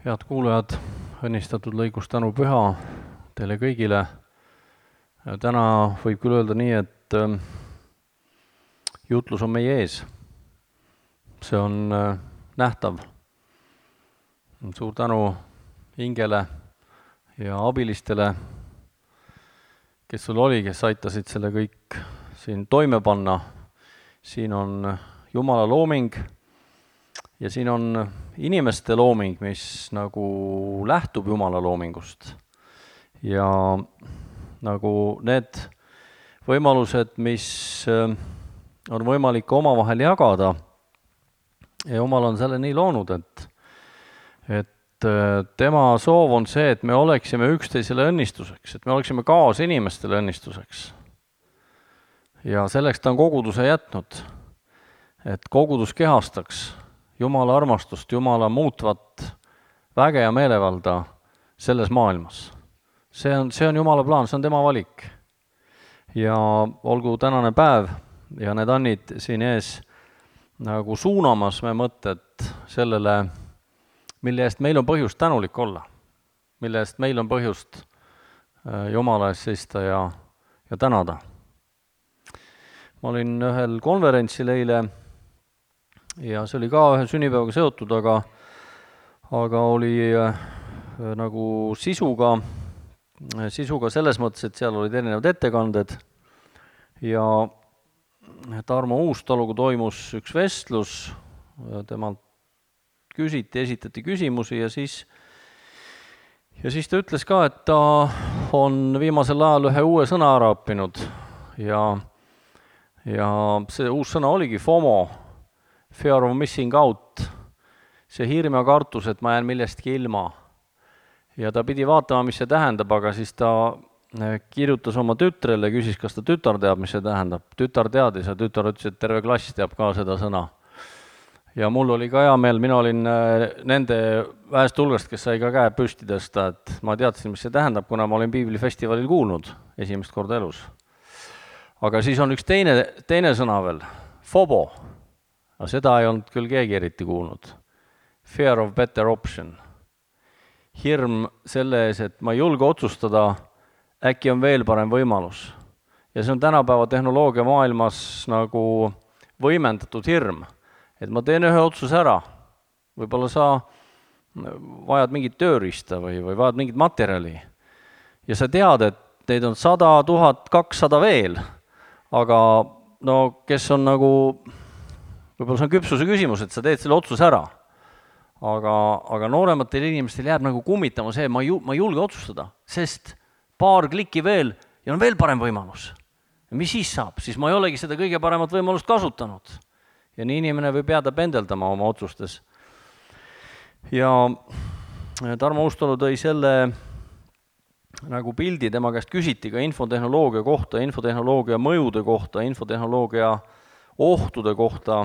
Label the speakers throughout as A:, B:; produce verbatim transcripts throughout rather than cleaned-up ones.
A: Head kuulajad, õnnistatud lõigus tänu püha teile kõigile. Täna võib küll öelda nii, et jutlus on meie ees. See on nähtav. Suur tänu Ingele ja abilistele, kes sul oli, kes aitasid selle kõik siin toime panna. Siin on Jumala looming ja siin on inimeste looming, mis nagu lähtub Jumala loomingust. Ja nagu need võimalused, mis on võimalik omavahel jagada, ja Jumal on selle nii loonud, et, et tema soov on see, et me oleksime üksteisele õnnistuseks, et me oleksime kaas inimestele õnnistuseks. Ja selleks ta on koguduse jätnud, et kogudus kehastaks Jumala armastust, Jumala muutvat väge ja meelevalda selles maailmas. See on, see on Jumala plaan, see on tema valik. Ja olgu tänane päev ja need annid siin ees nagu suunamas me mõtted sellele, mille eest meil on põhjust tänulik olla, mille eest meil on põhjust Jumala eest seista ja, ja tänada. Ma olin ühel konverentsil eile ja see oli ka ühe sünnipäevaga seotud, aga, aga oli äh, nagu sisuga, sisuga selles mõttes, et seal olid erinevad ettekanded ja Tarmo Uustaluga toimus üks vestlus, temalt küsiti, esitati küsimusi ja siis, ja siis ta ütles ka, et ta on viimasel ajal ühe uue sõna ära õppinud ja, ja see uus sõna oligi FOMO, Fear of missing out, see hirm ja kartus, et ma jään millestki ilma. Ja ta pidi vaatama, mis see tähendab, aga siis ta kirjutas oma tütrele, küsis, kas ta tütar teab, mis see tähendab. Tütar teadis ja tütar ütles, et terve klass teab ka seda sõna. Ja mul oli ka hea meel, mina olin nende vähest hulgast, kes sai ka käe püsti tõsta, et ma teadsin, mis see tähendab, kuna ma olin Piiblifestivalil kuulnud esimest korda elus. Aga siis on üks teine, teine sõna veel, FOBO. Aga seda ei olnud küll keegi eriti kuulnud. Fear of better option. Hirm selle ees, et ma ei julge otsustada, äkki on veel parem võimalus. Ja see on tänapäeva tehnoloogia maailmas nagu võimendatud hirm. Et ma teen ühe otsuse ära. Võib-olla sa vajad mingit tööriista või, või vajad mingit materjali. Ja sa tead, et neid on sada, tuhat, kakssada veel. Aga no kes on nagu... Võib-olla see on küpsuse küsimus, et sa teed selle otsuse ära. Aga, aga noorematel inimestel jääb nagu kummitama see, ma, ju, ma ei julge otsustada, sest paar klikki veel ja on veel parem võimalus. Ja mis siis saab? Siis ma ei olegi seda kõige paremat võimalust kasutanud. Ja nii inimene võib jääda pendeldama oma otsustes. Ja Tarmo Uustalu tõi selle nagu pildi, tema käest küsiti ka infotehnoloogia kohta, infotehnoloogia mõjude kohta, infotehnoloogia ohtude kohta.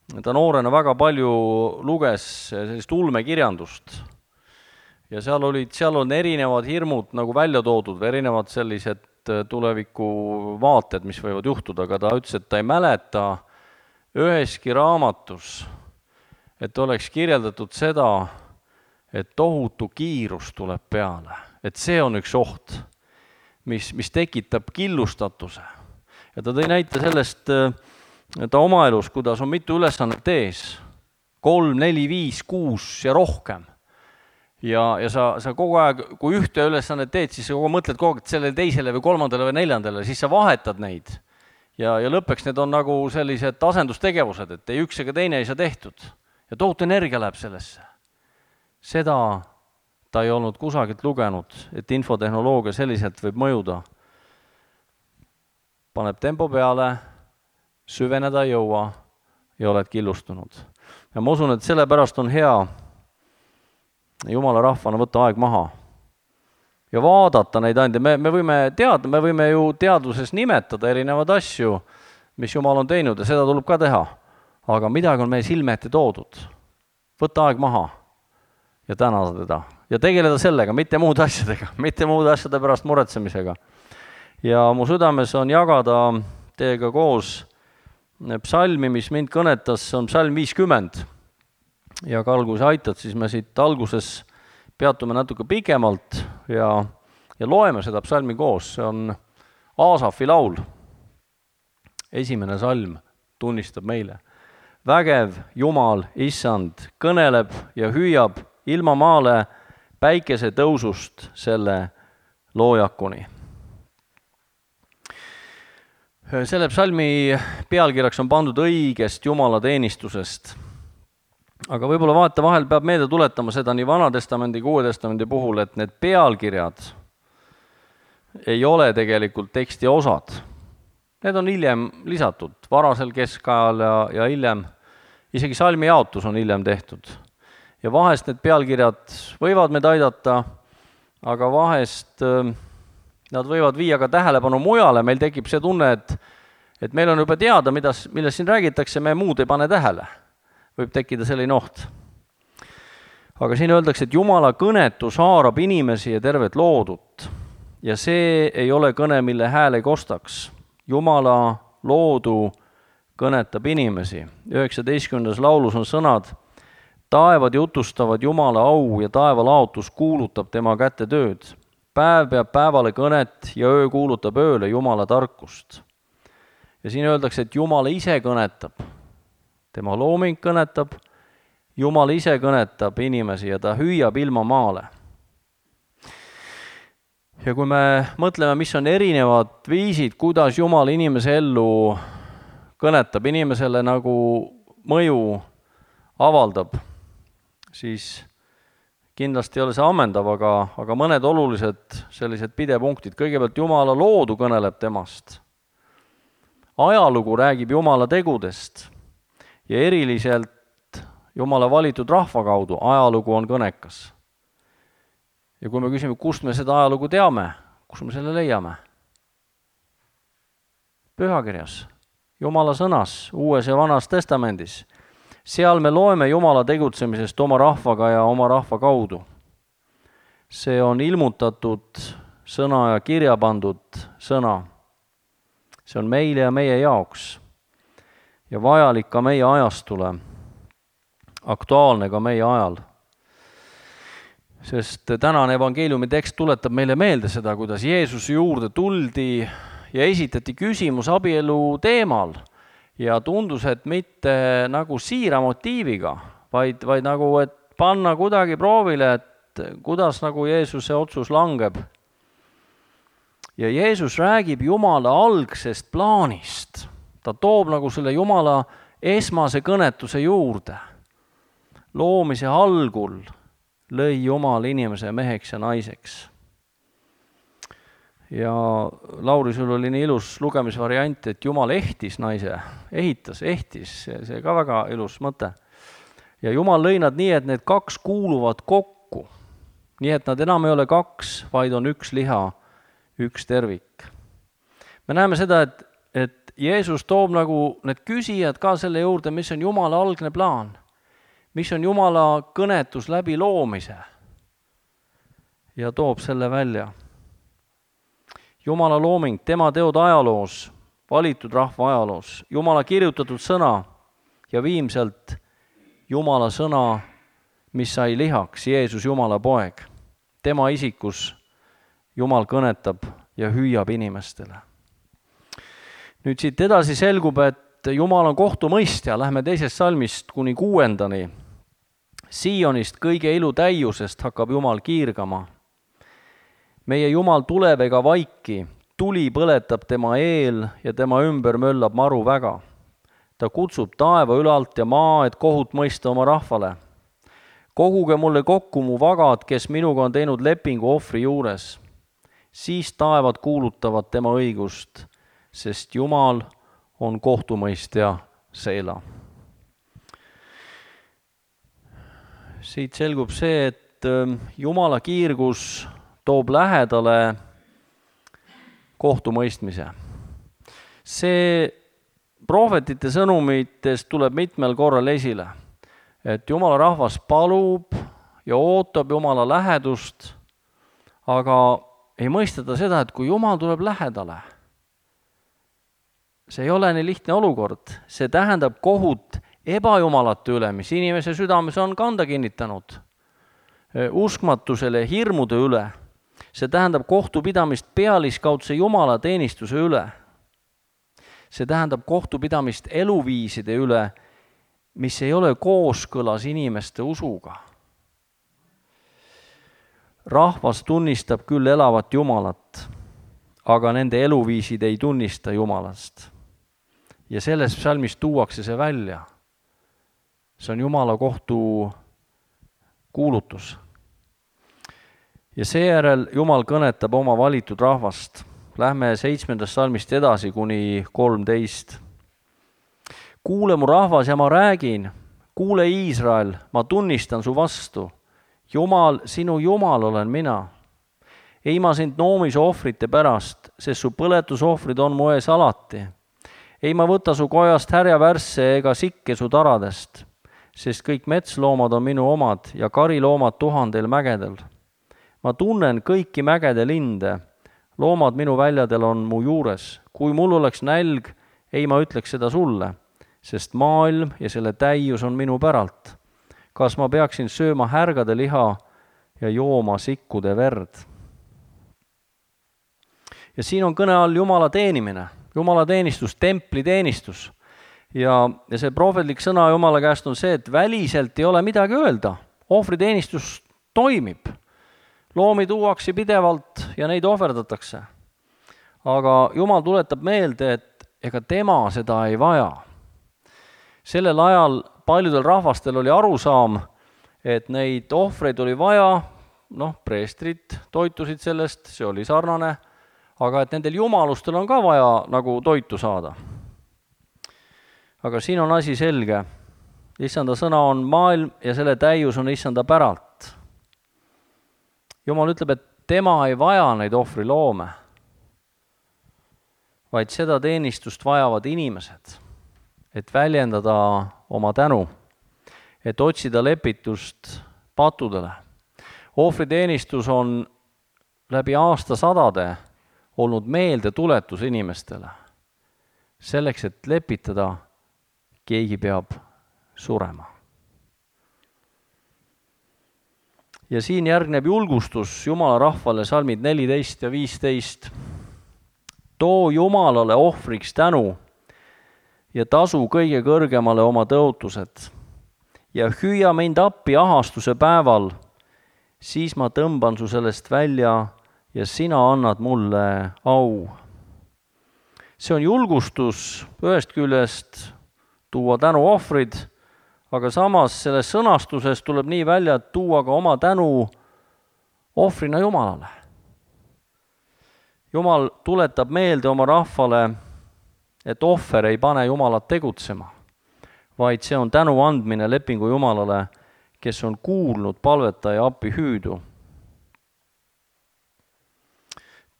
A: Ta noorena väga palju luges sellist ulmekirjandust ja seal olid, seal on erinevad hirmud nagu välja toodud või erinevad sellised tuleviku vaated, mis võivad juhtuda, aga ta ütles, et ta ei mäleta üheski raamatus, et oleks kirjeldatud seda, et tohutu kiirus tuleb peale, et see on üks oht, mis, mis tekitab killustatuse. Ja ta tõi näite sellest ta oma elus, kuidas on mitu ülesannet ees, kolm, neli, viis, kuus ja rohkem. Ja, ja sa, sa kogu aeg, kui ühte ülesannet teed, siis sa kogu mõtled kogu aeg sellele teisele või kolmandale või neljandale, siis sa vahetad neid. Ja, ja lõppeks need on nagu sellised asendustegevused, et ei üks ega teine ei saa tehtud. Ja tohutu energia läheb sellesse. Seda ta ei olnud kusagilt lugenud, et infotehnoloogia selliselt võib mõjuda. Paneb tempo peale, süveneda ei jõua ja oled killustunud. Ja ma usun, et sellepärast on hea Jumala rahvana võtta aeg maha ja vaadata neid ande. Me, me, võime teada, me võime ju teadvuses nimetada erinevad asju, mis Jumal on teinud ja seda tuleb ka teha. Aga midagi on meie silme ette toodud. Võtta aeg maha ja tänada teda. Ja tegeleda sellega, mitte muude asjadega, mitte muude asjade pärast muretsemisega. Ja mu südames on jagada teiega koos psalmi, mis mind kõnetas, on psalm viiskümmend. ja Karl, kui sa aitad, siis me siit alguses peatume natuke pikemalt ja, ja loeme seda psalmi koos. See on Aasafi laul. Esimene salm tunnistab meile. Vägev Jumal, issand, kõneleb ja hüüab ilma maale päikese tõusust selle loojakuni. Selle psalmi pealkirjaks on pandud õigest Jumala teenistusest. Aga võib-olla vaata vahel peab meelde tuletama seda nii Vana-testamendi kui Uue testamendi puhul, et need pealkirjad ei ole tegelikult teksti osad. Need on hiljem lisatud, varasel keskajal ja, ja hiljem, isegi salmi jaotus on hiljem tehtud. Ja vahest need pealkirjad võivad meid aidata, aga vahest nad võivad viia ka tähelepanu mujale, meil tekib see tunne, et, et meil on juba teada, mida, millest siin räägitakse, me muud ei pane tähele. Võib tekkida selline oht. Aga siin öeldakse, et Jumala kõnetus haarab inimesi ja tervet loodut. Ja see ei ole kõne, mille hääl ei kostaks. Jumala loodu kõnetab inimesi. üheksateistkümnendas laulus on sõnad: taevad jutustavad Jumala au ja taevalaotus kuulutab tema käte tööd. Päev peab päevale kõnet ja öö kuulutab ööle Jumala tarkust. Ja siin öeldakse, et Jumal ise kõnetab. Tema looming kõnetab, Jumal ise kõnetab inimesi ja ta hüüab ilma maale. Ja kui me mõtleme, mis on erinevad viisid, kuidas Jumal inimese ellu kõnetab, inimesele nagu mõju avaldab, siis kindlasti ei ole see ammendav, aga, aga mõned olulised sellised pidepunktid. Kõigepealt Jumala loodu kõneleb temast. Ajalugu räägib Jumala tegudest. Ja eriliselt Jumala valitud rahva kaudu ajalugu on kõnekas. Ja kui me küsime, kust me seda ajalugu teame, kus me selle leiame? Pühakirjas, Jumala sõnas, Uues ja Vanas testamendis. Seal me loeme Jumala tegutsemisest oma rahvaga ja oma rahva kaudu. See on ilmutatud sõna ja kirja pandud sõna. See on meile ja meie jaoks. Ja vajalik ka meie ajastule, aktuaalne ka meie ajal. Sest tänane evangeeliumi tekst tuletab meile meelde seda, kuidas Jeesuse juurde tuldi ja esitati küsimus abielu teemal ja tundus, et mitte nagu siira motiiviga, vaid, vaid nagu, et panna kuidagi proovile, et kuidas nagu Jeesuse otsus langeb. Ja Jeesus räägib Jumala algsest plaanist. Ta toob nagu selle Jumala esmase kõnetuse juurde. Loomise algul lõi Jumal inimese meheks ja naiseks. Ja Lauri, sul oli nii ilus lugemisvariant, et Jumal ehtis naise, ehitas, ehtis, see, see ka väga ilus mõte. Ja Jumal lõi nad nii, et need kaks kuuluvad kokku. Nii et nad enam ei ole kaks, vaid on üks liha, üks tervik. Me näeme seda, et, et Jeesus toob nagu need küsijad ka selle juurde, mis on Jumala algne plaan, mis on Jumala kõnetus läbi loomise ja toob selle välja. Jumala looming, tema teod ajaloos, valitud rahva ajaloos, Jumala kirjutatud sõna ja viimselt Jumala sõna, mis sai lihaks, Jeesus Jumala poeg. Tema isikus Jumal kõnetab ja hüüab inimestele. Nüüd siit edasi selgub, et Jumal on kohtumõistja. Lähme teisest salmist kuni kuuendani. Siionist kõige ilu täiusest hakkab Jumal kiirgama. Meie Jumal tuleb ega vaiki, tuli põletab tema eel ja tema ümber möllab maru väga. Ta kutsub taeva ülalt ja maa, et kohut mõista oma rahvale. Koguge mulle kokku mu vagad, kes minuga on teinud lepingu ohvri juures. Siis taevad kuulutavad tema õigust, sest Jumal on kohtumõistja Seela. Siit selgub see, et Jumala kiirgus toob lähedale kohtumõistmise. See prohvetite sõnumitest tuleb mitmel korral esile, et Jumala rahvas palub ja ootab Jumala lähedust, aga ei mõisteta seda, et kui Jumal tuleb lähedale, see ei ole nii lihtne olukord. See tähendab kohut ebajumalate üle, mis inimese südames on kanda kinnitanud, uskmatusele, hirmude üle. See tähendab kohtupidamist pealiskaudse jumalateenistuse üle. See tähendab kohtupidamist eluviiside üle, mis ei ole kooskõlas inimeste usuga. Rahvas tunnistab küll elavat Jumalat, aga nende eluviisid ei tunnista Jumalast. Ja selles psalmis tuuakse see välja. See on Jumala kohtu kuulutus. Ja seejärel Jumal kõnetab oma valitud rahvast. Lähme seitsmendast psalmist edasi kuni kolmteist. Kuule mu rahvas ja ma räägin, kuule Iisrael, ma tunnistan su vastu. Jumal, sinu Jumal olen mina. Ei ma sind noomise ohvrite pärast, sest su põletusohvrid on mu ees alati. Ei ma võta su kojast härjavärsse ega sikke su taradest, sest kõik metsloomad on minu omad ja kariloomad tuhandel mägedel. Ma tunnen kõiki mägede linde, loomad minu väljadel on mu juures. Kui mul oleks nälg, ei ma ütleks seda sulle, sest maailm ja selle täius on minu päralt. Kas ma peaksin sööma härgade liha ja jooma sikkude verd? Ja siin on kõne all Jumala teenimine, Jumala teenistus, templi teenistus. Ja, ja see prohvetlik sõna Jumala käest on see, et väliselt ei ole midagi öelda. Ohvriteenistus toimib. Loomi tuuakse pidevalt ja neid ohverdatakse. Aga Jumal tuletab meelde, et ega tema seda ei vaja. Sellel ajal paljudel rahvastel oli arusaam, et neid ohvreid oli vaja, noh, preestrid toitusid sellest, see oli sarnane, aga et nendel jumalustel on ka vaja nagu toitu saada. Aga siin on asi selge. Issanda sõna on maailm ja selle täius on issanda päralt. Jumal ütleb, et tema ei vaja neid ohvriloome, vaid seda teenistust vajavad inimesed, et väljendada oma tänu, et otsida lepitust patudele. Ohvriteenistus on läbi aastasadade olnud meeldetuletus inimestele. Selleks, et lepitada, keegi peab surema. Ja siin järgneb julgustus Jumala rahvale, salmid neliteist ja viisteist. Too Jumalale ohvriks tänu ja tasu kõige kõrgemale oma tõotused. Ja hüüa mind appi ahastuse päeval, siis ma tõmban su sellest välja ja sina annad mulle au. See on julgustus ühest küljest tuua tänu ohvrid, aga samas selles sõnastuses tuleb nii välja, et tuua ka oma tänu ohvrina Jumalale. Jumal tuletab meelde oma rahvale, et ohver ei pane Jumalat tegutsema, vaid see on tänu andmine lepingu Jumalale, kes on kuulnud palvetaja appi hüüdu.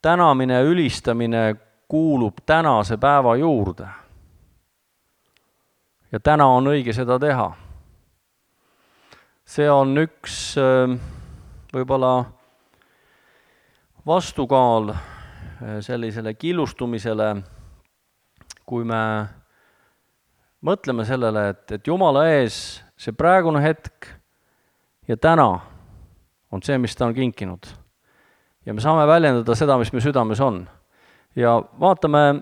A: Tänamine ja ülistamine kuulub tänase päeva juurde. Ja täna on õige seda teha. See on üks võib-olla vastukaal sellisele killustumisele, kui me mõtleme sellele, et, et Jumala ees see praegune hetk ja täna on see, mis ta on kinkinud. Ja me saame väljendada seda, mis me südames on. Ja vaatame,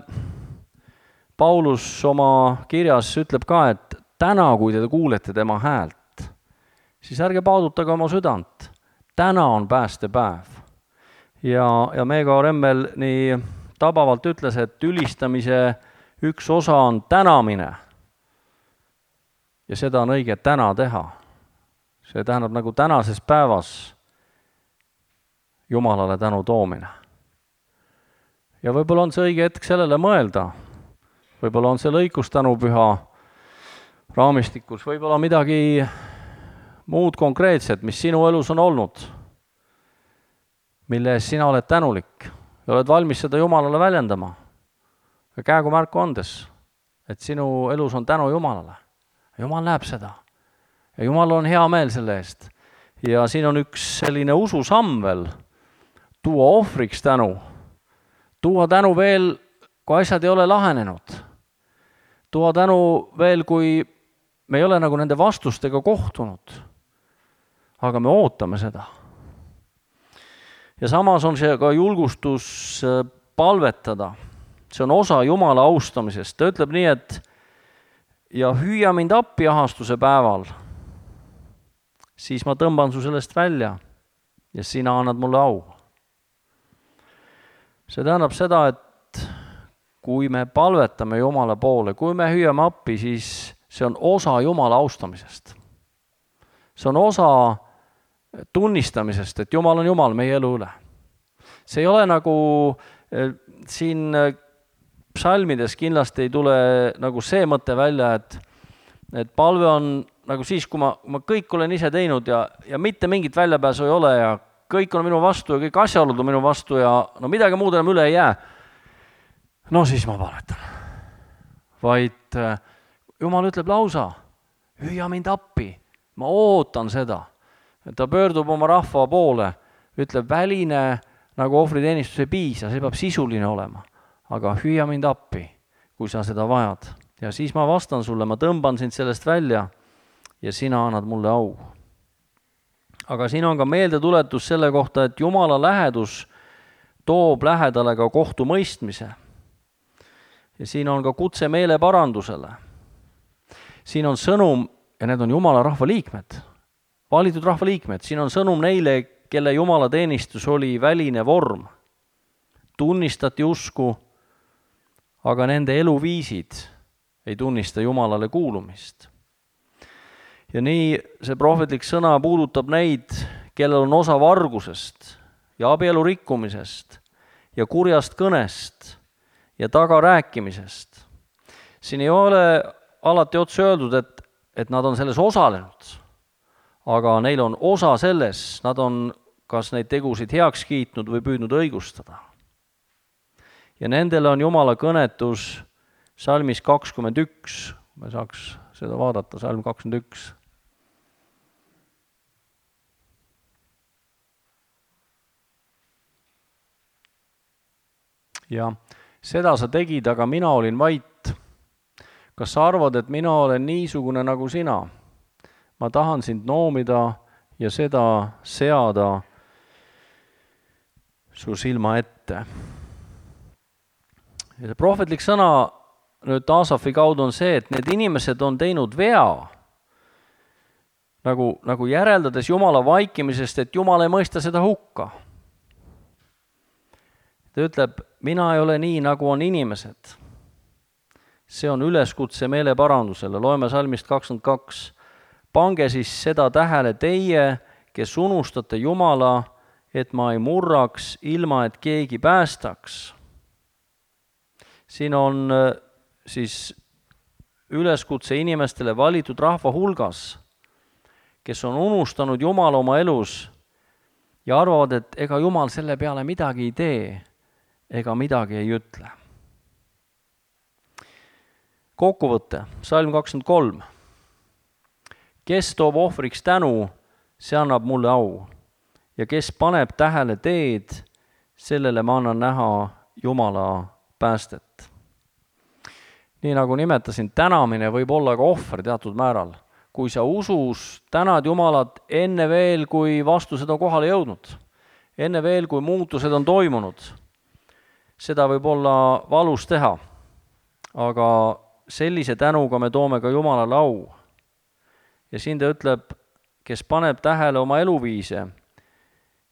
A: Paulus oma kirjas ütleb ka, et täna, kui te kuulete tema häält, siis ärge paudutage oma südant. Täna on päästepäev. Ja, ja Meego Remmel nii tabavalt ütles, et ülistamise üks osa on tänamine. Ja seda on õige täna teha. See tähendab nagu tänases päevas Jumalale tänu toomine. Ja võib-olla on see õige hetk sellele mõelda. Võib-olla on see lõikus tänupüha raamistikus, võib-olla midagi muud konkreetset, mis sinu elus on olnud, mille ees sina oled tänulik ja oled valmis seda Jumalale väljendama. Ja käegu märku andes, et sinu elus on tänu Jumalale. Jumal näeb seda. Ja Jumal on hea meel selle eest. Ja siin on üks selline ususamm veel, tuua ohvriks tänu. Tuua tänu veel, kui asjad ei ole lahenenud. Tuua tänu veel, kui me ei ole nagu nende vastustega kohtunud, aga me ootame seda. Ja samas on see ka julgustus palvetada. See on osa Jumala austamisest. Ta ütleb nii, et ja hüüa mind appi ahastuse päeval, siis ma tõmban su sellest välja ja sina annad mulle au. See tähendab seda, et kui me palvetame Jumala poole, kui me hüüame appi, siis see on osa Jumala austamisest. See on osa tunnistamisest, et Jumal on Jumal meie elu üle. See ei ole nagu siin psalmides kindlasti ei tule nagu see mõte välja, et, et palve on nagu siis, kui ma, ma kõik olen ise teinud ja, ja mitte mingit väljapääsu ei ole ja kõik on minu vastu ja kõik asjaolud on minu vastu ja no midagi muud enam üle ei jää. No siis ma palvetan. Vaid Jumal ütleb lausa, hüüa mind appi, ma ootan seda. Ta pöördub oma rahva poole, ütleb väline nagu ohvriteenistus ei piisa, see peab sisuline olema. Aga hüüa mind appi, kui sa seda vajad. Ja siis ma vastan sulle, ma tõmban sind sellest välja ja sina annad mulle au. Aga siin on ka meeldetuletus selle kohta, et Jumala lähedus toob lähedale ka kohtumõistmise. Ja siin on ka kutse meeleparandusele. Siin on sõnum, ja need on Jumala rahva liikmed, valitud rahva liikmed. Siin on sõnum neile, kelle Jumala teenistus oli väline vorm. Tunnistati usku, aga nende eluviisid ei tunnista Jumalale kuulumist. Ja nii see prohvetlik sõna puudutab neid, kellel on osa vargusest ja abielu rikkumisest ja kurjast kõnest ja tagarääkimisest. Siin ei ole alati otse öeldud, et, et nad on selles osalenud, aga neil on osa selles, nad on kas neid tegusid heaks kiitnud või püüdnud õigustada. Ja nendele on Jumala kõnetus salmis kakskümmend üks. Me saaks seda vaadata, salm kakskümmend üks. Ja seda sa tegid, aga mina olin vait. Kas sa arvad, et mina olen niisugune nagu sina? Ma tahan sind noomida ja seda seada su silma ette. Ja see prohvetlik sõna nüüd Aasafi kaudu on see, et need inimesed on teinud vea, nagu, nagu järeldades Jumala vaikimisest, et Jumal ei mõista seda hukka. Ta ütleb, mina ei ole nii, nagu on inimesed. See on üleskutse meeleparandusele. Loeme salmist kakskümmend kaks. Pange siis seda tähele teie, kes unustate Jumala, et ma ei murraks, ilma et keegi päästaks. Siin on siis üleskutse inimestele valitud rahva hulgas, kes on unustanud Jumala oma elus ja arvavad, et ega Jumal selle peale midagi ei tee, ega midagi ei ütle. Kokkuvõte, salm kakskümmend kolm. Kes toob ohvriks tänu, see annab mulle au. Ja kes paneb tähele teed, sellele ma annan näha Jumala päästet. Nii nagu nimetasin, tänamine võib olla ka ohver teatud määral. Kui sa usus tänad Jumalat enne veel, kui vastused on kohale jõudnud, enne veel, kui muutused on toimunud, seda võib olla valus teha. Aga sellise tänuga me toome ka Jumalale au. Ja siin ta ütleb, kes paneb tähele oma eluviise,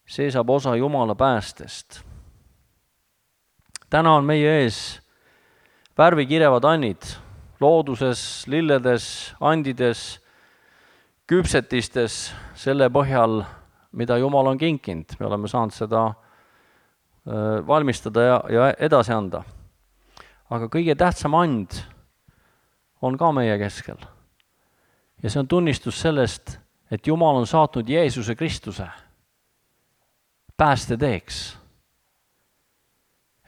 A: see saab osa Jumala päästest. Täna on meie ees värvikirevad annid, looduses, lilledes, andides, küpsetistes, selle põhjal, mida Jumal on kinkinud. Me oleme saanud seda valmistada ja, ja edasi anda. Aga kõige tähtsam and on ka meie keskel. Ja see on tunnistus sellest, et Jumal on saatnud Jeesuse Kristuse päästeteeks.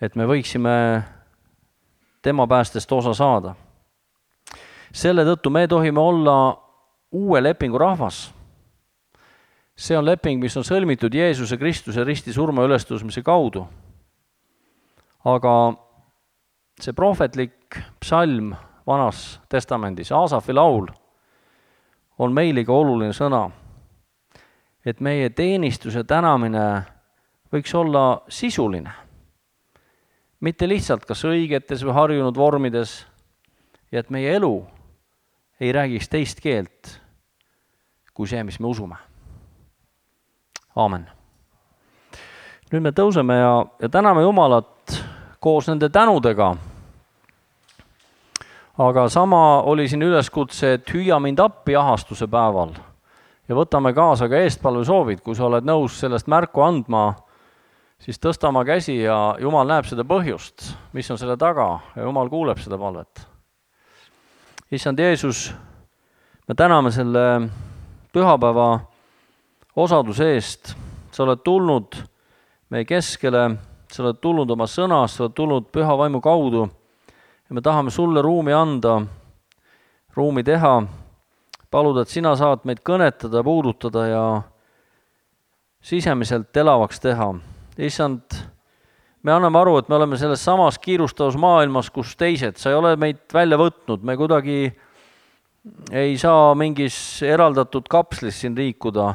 A: Et me võiksime tema päästest osa saada. Selle tõttu me tohime olla uue lepingu rahvas. See on leping, mis on sõlmitud Jeesuse Kristuse risti surma ülestõusmise kaudu. Aga see prohvetlik psalm Vanas testamendis, Aasafi laul, on meile ka oluline sõna. Et meie teenistuse tänamine võiks olla sisuline. Mitte lihtsalt kas õigetes või harjunud vormides, ja et meie elu ei räägiks teist keelt kui see, mis me usume. Aamen. Nüüd me tõuseme ja, ja täname Jumalat koos nende tänudega. Aga sama oli siin üleskutse, et hüüa mind appi ahastuse päeval. Ja võtame kaasa ka eestpalve soovid, kui sa oled nõus sellest märku andma, siis tõsta oma käsi ja Jumal näeb seda põhjust, mis on selle taga ja Jumal kuuleb seda palvet. Issand Jeesus, me täname selle pühapäeva osaduse eest. Sa oled tulnud meie keskele, sa oled tulnud oma sõnas, sa oled tulnud püha vaimu kaudu ja me tahame sulle ruumi anda, ruumi teha, paluda, et sina saad meid kõnetada, puudutada ja sisemiselt elavaks teha. Issand, me anname aru, et me oleme selles samas kiirustavas maailmas, kus teised, sa ei ole meid välja võtnud, me kuidagi ei saa mingis eraldatud kapslis siin liikuda.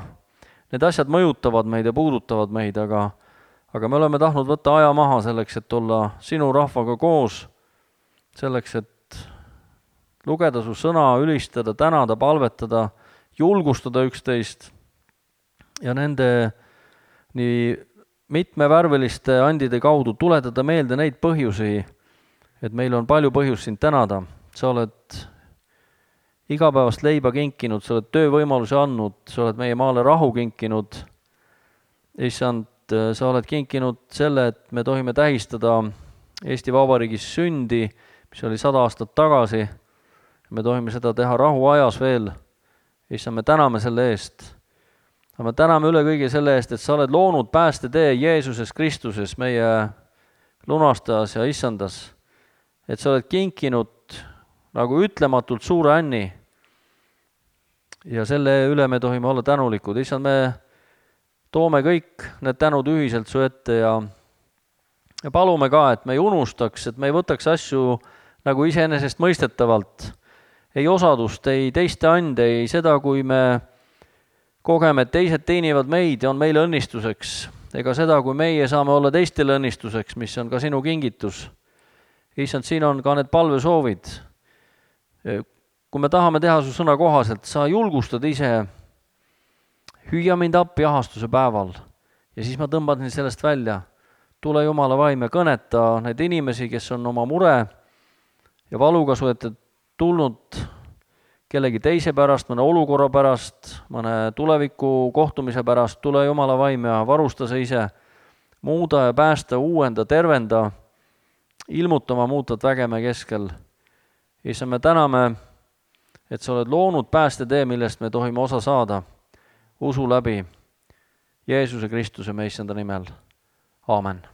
A: Need asjad mõjutavad meid ja puudutavad meid, aga, aga me oleme tahtnud võtta aja maha selleks, et olla sinu rahvaga koos, selleks, et lugeda su sõna, ülistada, tänada, palvetada, julgustada üksteist ja nende nii mitmevärveliste andide kaudu tuletada meelde neid põhjusi, et meil on palju põhjust sind tänada. Sa oled igapäevast leiba kinkinud, sa oled töövõimalusi andnud, sa oled meie maale rahu kinkinud. Issand, sa oled kinkinud selle, et me tohime tähistada Eesti Vabariigis sündi, mis oli sada aastat tagasi. Me tohime seda teha rahuajas veel. Issand, me täname selle eest. Aga me täname üle kõige selle eest, et sa oled loonud päästetee Jeesuses Kristuses, meie lunastajas ja issandas. Et sa oled kinkinud nagu ütlematult suure änni. Ja selle üle me tohime olla tänulikud. Issand, me toome kõik need tänud ühiselt su ette ja, ja palume ka, et me ei unustaks, et me ei võtaks asju nagu iseenesest mõistetavalt. Ei osadust, ei teiste ande, ei seda, kui me kogeme, et teised teenivad meid ja on meile õnnistuseks. Ega seda, kui meie saame olla teistele õnnistuseks, mis on ka sinu kingitus. Issand, siin on ka need palvesoovid. Kui me tahame teha su sõna kohaselt, sa julgustad ise, hüüa mind appi ahastuse päeval ja siis ma tõmban sellest välja. Tule Jumala vaim ja kõneta neid inimesi, kes on oma mure ja valuga su ette tulnud kellegi teise pärast, mõne olukorra pärast, mõne tuleviku kohtumise pärast. Tule Jumala vaim ja varusta sa ise, muuda ja päästa, uuenda, tervenda, ilmutama muutvat vägeme keskel. Issa, me täname, et sa oled loonud päästetee, millest me tohime osa saada usu läbi Jeesuse Kristuse me issanda nimel. Aamen.